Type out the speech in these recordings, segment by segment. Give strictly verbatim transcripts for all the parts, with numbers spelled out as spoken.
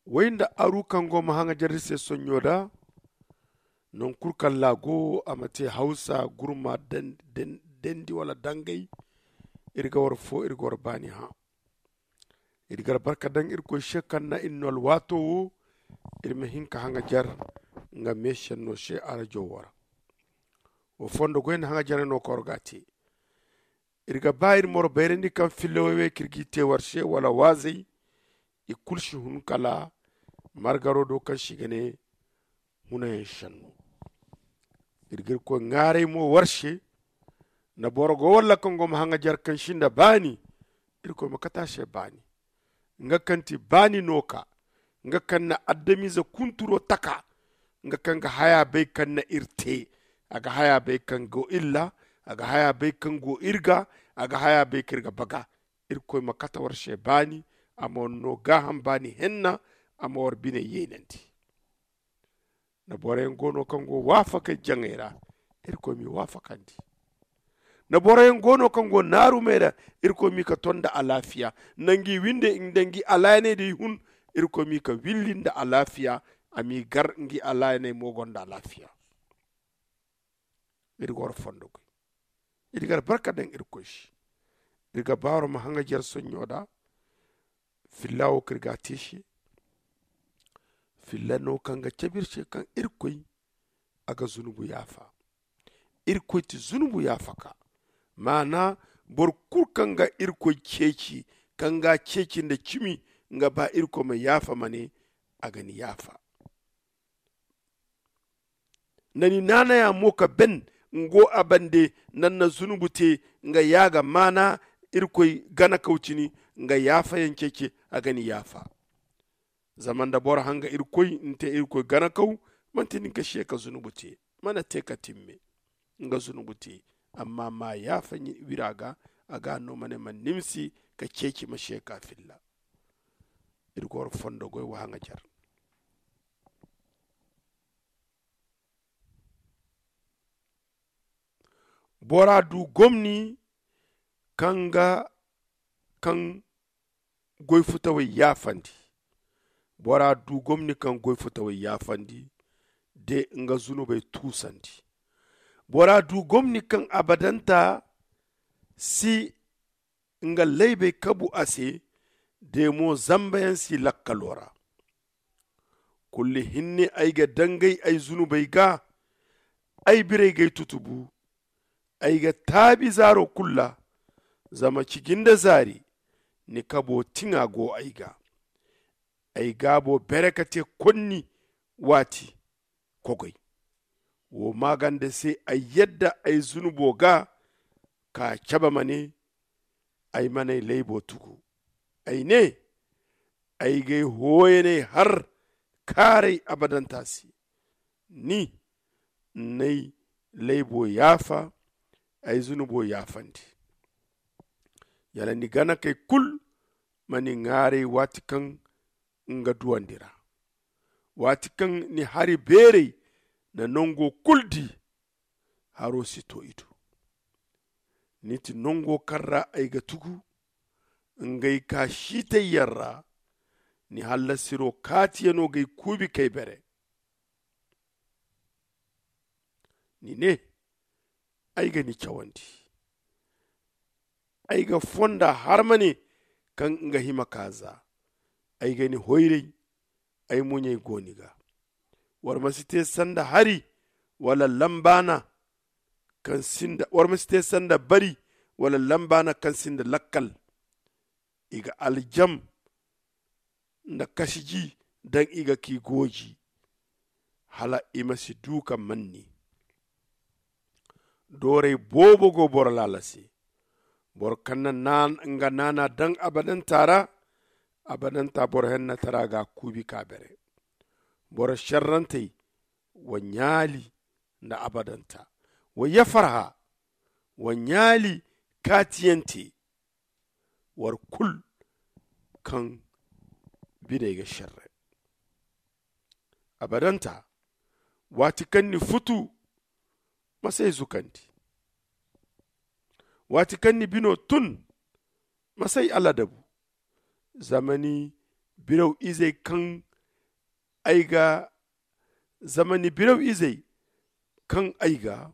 Way nda aru kaŋ go ma haŋajar iri se sonɲo da. Naŋ kulu kaŋ laago a ma te hawsa gurma, dandi wala dangay. Iri ga war fo iri ga war baani hã. Iri ga albarka daŋ irkoy se kaŋ na iri no alwaato wo. Iri ma hin ka haŋajar nga meesenno se arajo wo ra. Wo fondo goy nda haŋajaray no kaŋ war ga a te. Iri ga ba iri ma war bayrandi kaŋ filla way-way kaŋ iri g'i te war se wala waazey. I kulu si hun kala margaro do kaŋ se i ga ne hunayaŋ senno. Iri ga irkoy ŋwaaray mo war se. Nda boro go walla kaŋ go ma haŋajar kaŋ sinda baani, irkoy ma kate a se baani. Nga kaŋ ti baani no ka nga kaŋ na adamize kunturo taka. Nga kaŋ ga haya bay kaŋ na iri te. A ga haya bay kaŋ go iri ra. A ga haya bay kaŋ go iri ga. A ga haya bay kaŋ iri ga baga. Irkoy ma kate war se baani. A ma war no gaaham baani henna. A ma war bine yeenandi. Nda boroyaŋ go no kaŋ go waafakey jaŋey ra. Irkoy m'i waafakandi. Nda boroyaŋ go no kaŋ go naarumey ra. Irkoy m'i ka ton nda alaafiya. Nda ngi winde nda ngi alaayaney da i hun. Irkoy m'i ka willi nda alaafiya. A m'i gar ngi alaayaney mo gonda alaafiya. Iri ga war fondo goy. Iri ga albarka daŋ irkoy se. Iri ga ba war ma haŋajar sonɲo da. Filla wo kaŋ iri ga a te se. Filla no kaŋ ga cabe iri se kaŋ irkoy a ga zunubu yaafa. Irkoy ti zunubu yaafaka. Maana boro kulu kaŋ ga irkoy ceeci, kaŋ ga a ceeci nda cimi, nga ba irkoy ma yaafa ma ne a ga ni yaafa. Nda ni naanaya mo ka ben nga wo a bande. Nda ni na zunubu te nga yaaga maana irkoy ganakaw cini nga yaafayaŋ ceeci a ga ni yaafa. Zama nda boro hanga irkoy ni te irkoy ganakaw, manti ni ga se ka zunubu te. Mana te ka timme nga zunubu te. Amma ma yaafa wira ga a ga a no ma ne ma nimsi ka ceeci ma se ka filla. Iri ga war fondo goy wa haŋajar. Bora du gomni kaŋ ga kaŋ goy futawey yaafandi. Bora du gomni kaŋ goy futawey yaafandi de nga zunubey tuusandi. Bora du gomni kaŋ abadanta si nga laybey kabu a se. De mo zambayaŋ si lakkalo ra. Kulli hinne ay ga dangay ay zunubey ga. Ay birey g'ay tutubu. Ay ga taabi zaaro kulu ra. Zama ciji nda zaari ni kabo tiŋa go ay ga. Ay gaabo bere ka te konni waati kogay. Wo maaganda se ay yadda ay zunubo ga ka cabe ma ne. Ay man'ay laybo tugu. Ay ne ay g'ay hooyaney har kaaray abadanta se. Ni n'ay laybo yaafa. Ay zunubo yaafandi. Yala ni ganakey kulu ma ni ŋaaray waati kaŋ nga duwandi ra. Waati kaŋ ni hari beerey na nango kulu di. Haro si to i do. Ni ti nango kaŋ ra ay ga tugu. Ngey ka siitayyaŋ ra. Ni hallasiro kaatiyano g'ay kuubi k'ay bere. Ni ne ay ga ni cawandi. Ay ga fonda harmane kaŋ nga hima ka za. Ay ga ni hoyray. Ay muɲey go ni ga. War ma si te sanda hari wala lambaana kaŋ sinda war ma si te sanda bari wala lambaana kaŋ sinda lakkal. I ga aljam nda kasiji daŋ i ga k'i gooji. Hala i ma si du ka manni. Dooray boobo go boro laala se. Boro kaŋ na nga naana daŋ abadanta ra. Abadanta boro hennatara ga a kuubi ka bere. Boro šerrantey wa ɲaali nda abadanta. Wa yafarha wa ɲaali kaatiyante. War kul kaŋ biney ga šerre. Abadanta waati kaŋ ni futu ma s'ay zukandi. Waati kaŋ ni bino tun ma s'ay aladabu. Zama ni biraw izey kaŋ ay ga zama ni biraw izey kaŋ ay ga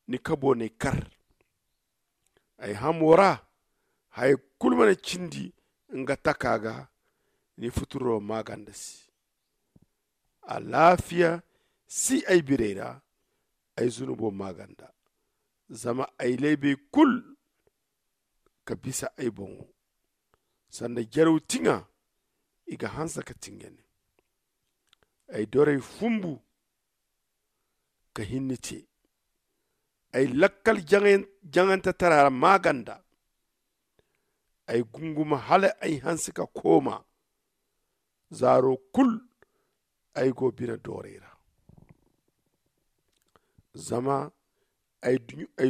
ni kabo n'ay kar. Ay hamo ra haya kulu mana cindi nga taka ga. Ni futuro maaganda se alaafiya si ay birey ra. Ay zunubo maaganda zama ay laybey kulu ka bisa ay boŋo. Sanda jaraw tiŋa i ga hanse ka tingane. Ay dorey fumbu ka hinni te. Ay lakkal jaŋantetara maaganda. Ay gunguma hala ay hanse ka kooma. Zaaro kulu ay go bine doorey ra. Zama ay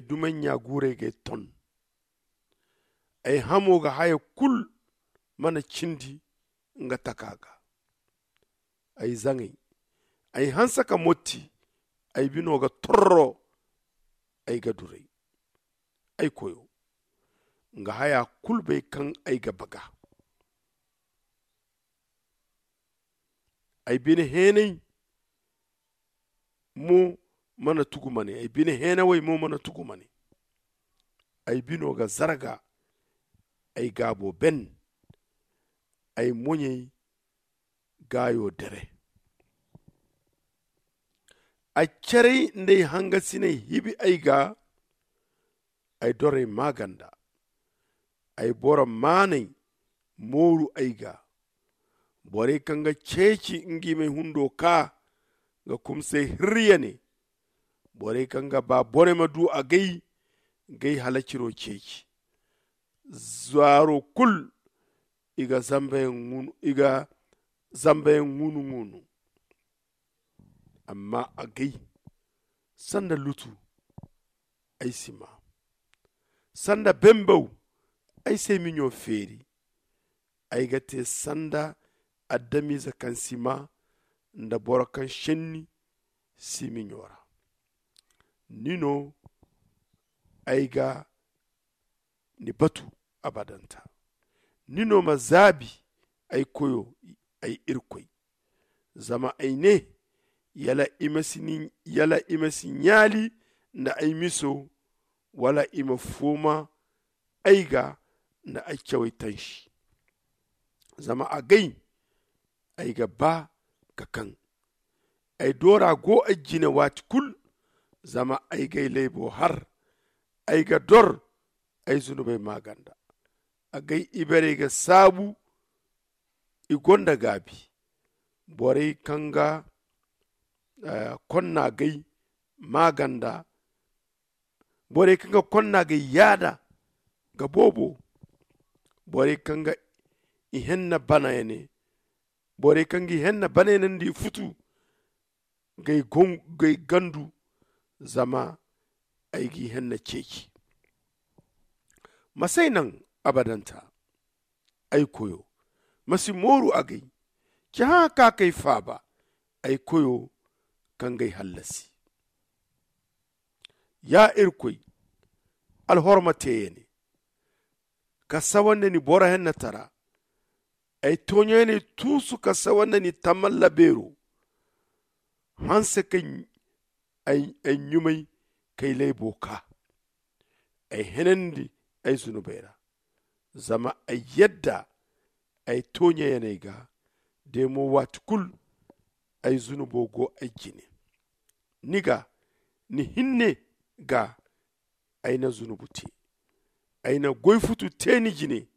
dumanɲa guurey g'ay ton. Ay hamo ga haya kulu mana cindi nga taka ga. Ay zaŋay ay hanse ka motti. Ay bino ga torro ay ga duray. Ay koyo nga haya kulu bay kaŋ ay ga baga. Ay bine heenay mo mana tugu mane ay bine heenawey mo mana tugu mane. Ay bino ga zarga ay gaabo ben. Ay moɲey gaayo dere. Ay caray nda ay hangasiney hibi ay ga. Ay dorey maaganda ay boro maaney mooru ay ga. Borey kaŋ ga ceeci ngi m'ay hundo ka ga kumsay hirriyane. Borey kaŋ ga ba boro ma du agay g'ay halaciro ceeci. Zaaro kulu i ga zambayaŋ ŋunu-ŋunu. Amma agay sanda lutu ay si maa. Sanda bembaw ay si ay miɲo feeri. Ay ga te sanda adamize kaŋ si maa nda boro kaŋ šenni si miɲo ra. Ni no ay ga ni batu abadanta. Ni no ma zaabi ay koyo ay irkoy. Zama ay ne yala i ma si ɲaali nda ay miso wala i ma fooma ay ga nda ay cawey tansi. Zama agay ay ga ba ka kaŋ ay doora go ay jine waati kulu. Zama ay g'ay laybo har ay ga dor ay zunubey maaganda. Agay ibarey ga saabu i gonda gaabi. Borey kaŋ ga konna gay maaganda. Borey kaŋ ga konna gay yaada ga boobo. Borey kaŋ ga i henna banayane. Borey kaŋ ga i henna banayanandi futu gay gandu. Zama ay g'i henna ceeci. Ma s'ay naŋ abadanta. Ay koyo ma si mooru agay. Ci hã ka kay faaba ay koyo kaŋ g'ay hallasi. Ya irkoy alhorma teeyaŋ ne ka sawa nda ni boro hennatara. Ay tooɲayaney tuusu ka sawa nda ni tamalla beero. Hanse ka ay ɲumay kay laybo ka ay henandi ay zunubey ra. Zama ay yadda ay tooɲayaney ga de mo waati kulu ay zunubo go ay jine. Ni ga ni hinne ga ay na zunubu te. Ay na goy futu te ni jine.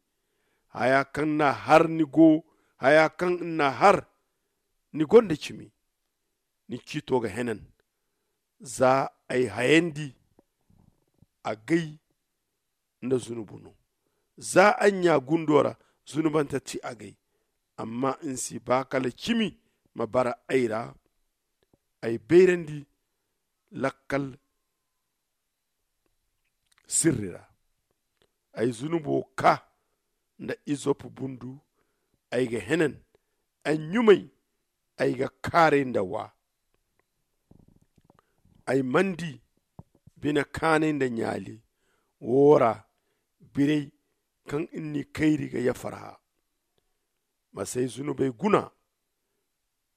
Haya kaŋ n'a har ni go haya kaŋ n'a har ni gonda cimi. Ni ciito ga henan za ay hayandi agay nda zunubu no. Za ay ɲa gundo ra zunubante ti agay. Amma n'si ba kala cimi ma bara ay ra. Ay bayrandi lakkal sirri ra. Ay zunubo ka nda izop bundu ay ga henan. Ay ɲumay ay ga kaaray nda wa. Ay mana di bine kaanay nda ɲaali wo ra. Biray kaŋ n'ni kayri ga yafarha. Ma s'ay zunubey guna.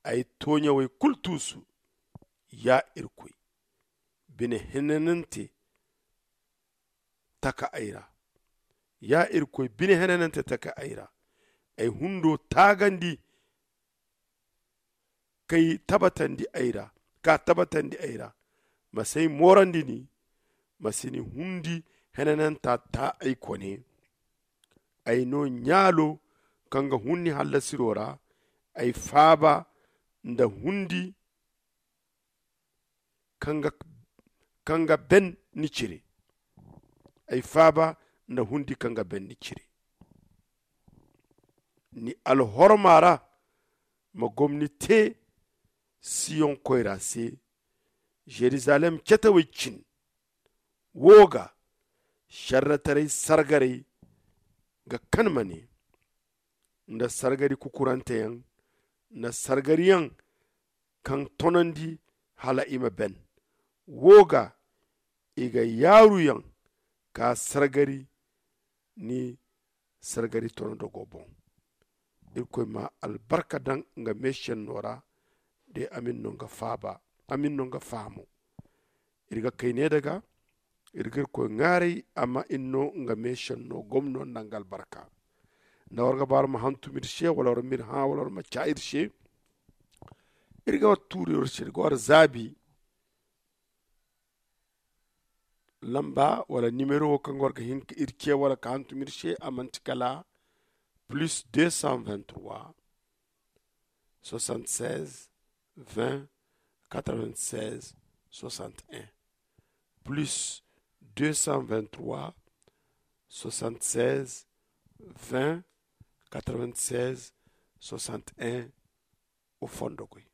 Ay tooɲawey kulu tuusu. Ya irkoy, bine henanante taka ay ra. Ya irkoy, bine henanante taka ay ra. Ay hundo taagandi kay tabbatandi ay ra. Ka tabbatandi ay ra. Ma si ay moorandi ni. Ma si ni hundi henananta ta ay kone. Ay no ɲaalo kaŋ ga hun ni hallasiro ra. Ay faaba nda hundi kaŋ ga ben ni cire. Ay faaba nda hundi kaŋ ga ben ni cire. Ni alhorma ra ma gomni te siyoŋ koyra se. Zerizalem cetawey cin wo ga sarrataray sargaray ga kan ma ne nda sargari kukuranteyaŋ nda sargariyaŋ kaŋ tonandi hala i ma ben. Wo ga i ga yaaruyaŋ ka sargari ni sargari tonodogo boŋ. Irkoy ma albarka daŋ nga meesenno ra. De a ma ni no nga faaba a ma ni no nga fahamo. Iri ga kay ne daga iri ga irkoy ŋaaray a ma ni no nga meesenno gomno nda nga albarka. Nda war ga ba war ma hantum iri se wala war ma iri hã wala war ma ca iri se. Iri ga war tuuri war se iri ga war zaabi lamba wala nimero wo kaŋ ga war ga hin ka iri ce wala ka hantum iri se a manti kala plus deux cent vingt trois soixante seize vingt quatre vingt seize soixante un. Plus deux cent vingt trois soixante seize vingt quatre vingt seize soixante un. O fondo koy.